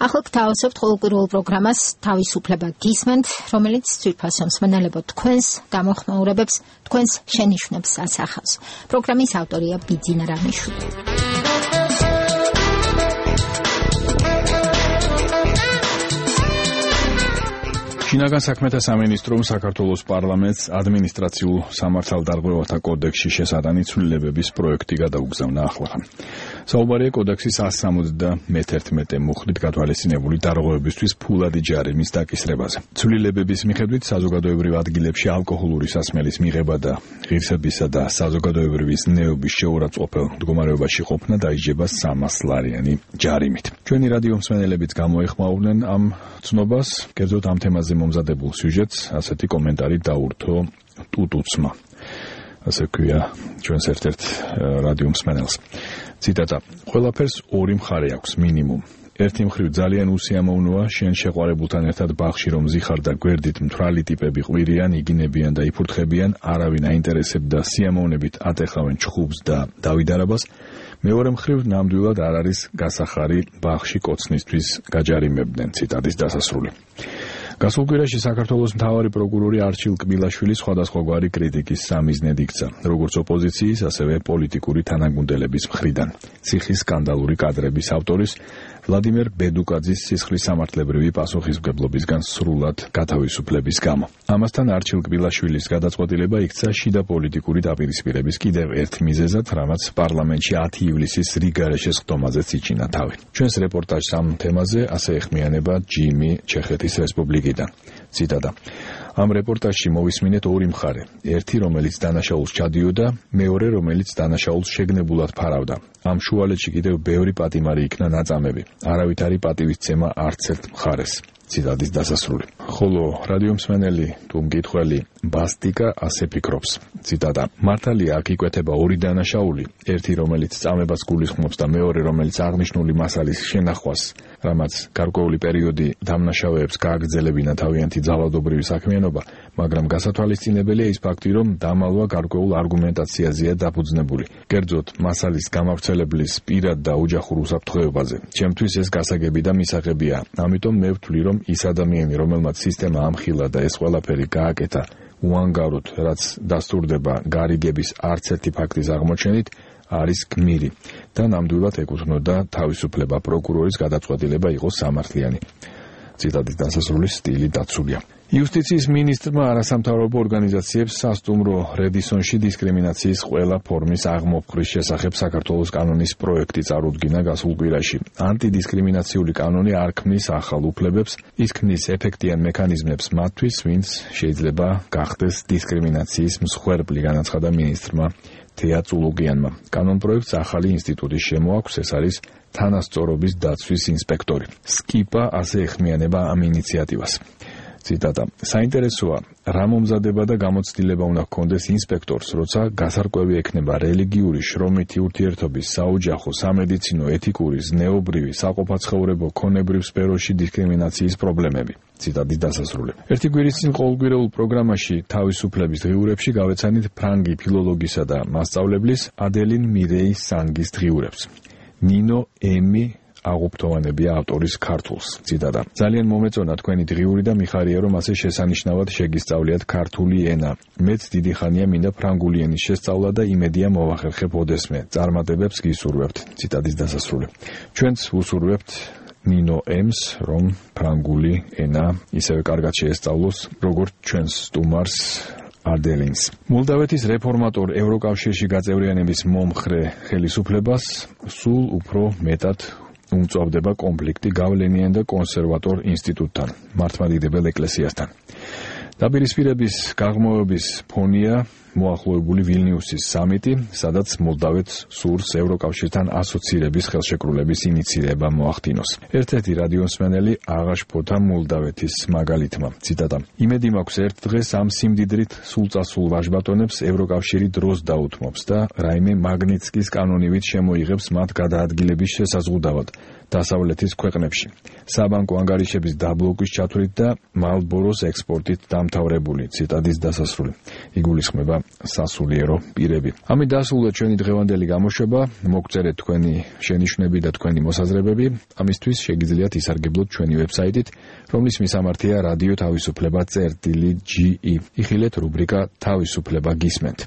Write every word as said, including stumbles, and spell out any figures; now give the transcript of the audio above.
ახლა გთავაზობთ ყოველკვირეულ პროგრამას თავისუფლება გისმენთ, რომელიც ძვირფასო მსმენელებო თქვენს გამოხმაურებებს, თქვენს შენიშვნებს ასახავს. პროგრამის ავტორია ბიძინა რამიშვილი. შინაგან საქმეთა სამინისტრომ საქართველოს პარლამენტს ადმინისტრაციულ სამართალდარღვევათა კოდექსში შესატანი ცვლილებების პროექტი გადაუგზავნა ახლახან. საუბარია კოდექსის εκατს სამოცდამეერთმეტე მუხლით გათვალისწინებული დარღვევებისთვის ფულადი ჯარიმის დაკისრებაზე. ცვლილებების მიხედვით საზოგადოებრივ ადგილებში ალკოჰოლური სასმელის მიღება და ღირსებისა და საზოგადოებრივი ზნეობის შეურაცხყოფელ მდგომარეობაში ყოფნა დაიჯება სამას ლარიანი ჯარიმით. ჩვენი რადიო მსმენელებიც გამოეხმაურნენ ამ ცნობას, კერძოდ ამ თემაზე მომზადებულ სიუჟეტს ასეთი კომენტარი დაურთო ტუტუცმა. ასე ქვია ჩვენს ერთ-ერთ რადიო მსმენელს. ციტატა: ყველაფერს ორი მხარე აქვს მინიმუმ. ერთი მხრივ ძალიან უსიამოვნოა შენ შეყვარებულთან ერთად ბაღში რომ ზიხარ და გვერდით მთვრალი ტიპები ყვირიან, იგინებიან და იფურთხებიან, არავინ აინტერესებდა სიამოვნებით ატეხავენ ჩხუბს და დავიდარებას. მეორე მხრივ ნამდვილად არ არის გასახარი ბაღში კოცნისთვის გაჯარიმებდნენ. ციტატის დასასრული. გასულ კვირაში საქართველოს მთავარი პროკურორი არჩილ კბილაშვილი სხვადასხვაგვარი კრიტიკის სამიზნედ იქცა, როგორც ოპოზიციის, ასევე პოლიტიკური თანაგუნდელების მხრიდან. ციხის სკანდალური კადრების ავტორის ვლადიმერ ბედუკაძის სისხლის სამართლებრივი პასუხისმგებლობისგან სრულად გათავისუფლების გამო. ამასთან არჩილ კბილაშვილის გადაწყვეტილება იქცა შიდა პოლიტიკური დაპირისპირების კიდევ ერთ მიზეზად, რამაც პარლამენტში ათი ივლისის რიგარეშეს ხდომაზეც იჩინა თავი. ჩვენს რეპორტაჟს ამ თემაზე ასე ეხმიანება ჯიმი ჩეხეთის რესპუბლიკიდან. ციტატა: ამ რეპორტაჟში მოვისმინეთ ორი მხარე. ერთი, რომელიც დანაშაულს ჩადიოდა, მეორე, რომელიც დანაშაულს შეგნებულად ფარავდა. ამ შუალედში კიდევ ბევრი პატიმარი იქნა ნაწამები. არავითარი პატივისცემა არც ერთ მხარეს. ციტატის დასასრული. ხოლო რადიო მსმენელი თუ მკითხველი ბასტიკა ასე ფიქრობს. ციტატა: მართალია აქ იკვეთება ორი დანაშაული, ერთი რომელიც წამებას გულისხმობს და მეორე რომელიც აღნიშნული მასალის შენახვას, რამაც გარკვეული პერიოდი დამნაშავეებს გააგრძელებინა თავიანთი ძალადობრივი საქმიანობა, მაგრამ გასათვალისწინებელია ის ფაქტი, რომ დამალვა გარკვეულ არგუმენტაციაზეა დაფუძნებული. კერძოდ, მასალის გამავრცელებლის პირად და ოჯახურ უსაფრთხოებაზე. ჩემთვის ეს გასაგები და მისაღებია, ამიტომ მე ვთვლი, რომ ის ადამიანი, რომელმაც სისტემა ამხილა და ეს ყველაფერი გააკეთა უანგაროდ, რაც დასტურდება გარიგების არც ერთი ფაქტის აღმოჩენით, არის გმირი და ნამდვილად ეკუთვნოდა თავისუფლება, პროკურორის გადაწყვეტილება იყოს სამართლიანი. ციტატის დასასრული სტილი დაცულია. იუსტიციის მინისტრმა არასამთავრობო ორგანიზაციებს სასტუმრო რედისონში დისკრიმინაციის ყველა ფორმის აღმოფხრის შესახებ საქართველოს კანონის პროექტი წარუდგინა გასულ კვირაში. ანტიდისკრიმინაციული კანონი არ ქმნის ახალ უფლებებს, ის ქმნის ეფექტიან მექანიზმებს მათთვის, ვინც შეიძლება გახდეს დისკრიმინაციის მსხვერპლი, განაცხადა მინისტრმა თეა წულუგიანმა. კანონ პროექტს ახალი ინსტიტუტი შემოაქვს, ეს არის თანასწორობის დაცვის ინსპექტორი. სკიპა ასე ეხმიანება ამ ინიციატივას. ციტატა: საინტერესოა, რა მომზადება და გამოცდილება უნდა ჰქონდეს ინსპექტორს, როცა გასარკვევი ექნება რელიგიური, შრომითი ურთიერთობის, საოჯახო, სამედიცინო, ეთიკური, ზნეობრივი, საყოფაცხოვრებო, ქონებრივ სფეროში დისკრიმინაციის პრობლემები. ციტატის დასასრული. ერთი კვირის წინ ყოველკვირეულ პროგრამაში თავისუფლების დღიურებში გავეცანით ფრანგი ფილოლოგისა და მასწავლებლის ადელინ მირეი სანგის დღიურებს. ნინო ემი აღუფრთოვანებია ავტორის ქართულს. ციტატა: ძალიან მომეწონა თქვენი დღიური და მიხარია, რომ ასე შესანიშნავად შეგისწავლიათ ქართული ენა. მეც დიდი ხანია მინდა ფრანგული ენის შესწავლა და იმედია მოვახერხებ ოდესმე. წარმატებებს გისურვებთ. ციტატის დასასრული. ჩვენც უსურვებთ ნინო ემს, რომ ფრანგული ენა ისევე კარგად შეესწავლოს, როგორც ჩვენს სტუმარს ადელინს. მოლდავეთის რეფორმატორ ევროკავშირში გაწევრიანების მომხრე ხელისუფლებას სულ უფრო მეტად უმწვავდება კონფლიქტი გავლენიან და კონსერვატორ ინსტიტუტთან, მართლმადიდებელ ეკლესიასთან. დაპირისპირების გაღრმავების ფონია მოახლოებული ვილნიუსის სამიტი, სადაც მოლდავეთს სურს ევროკავშირთან ასოცირების ხელშეკრულების ინიცირება მოახდინოს. ერთ-ერთი რადიო მსმენელი აღაშფოთა მოლდავეთის მაგალითმა. ციტატა: იმედი მაქვს ერთ დღეს ამ სიმდიდრით სულწასულ ვაჟბატონებს ევროკავშირი დროს დაუთმობს და რაიმე მაგნიცკის კანონივით შემოიღებს მათ გადაადგილების შესაზღუდავად დასავლეთის ქვეყნებში. საბანკო ანგარიშების დაბლოკვის ჩათვლით და მალბოროს ექსპორტით დამთავრებული. ციტატის დასასრული. იგულისხმება სასულიერო პირები. ამით დასრულდა ჩვენი დღევანდელი გამოშვება. მოგწერეთ თქვენი შენიშვნები და თქვენი მოსაზრებები. ამისთვის შეგიძლიათ ისარგებლოთ ჩვენი ვებსაიტით, რომლის მისამართია რადიო თავისუფლება წერტილი ჯი ი. იხილეთ რუბრიკა თავისუფლება გისმენთ.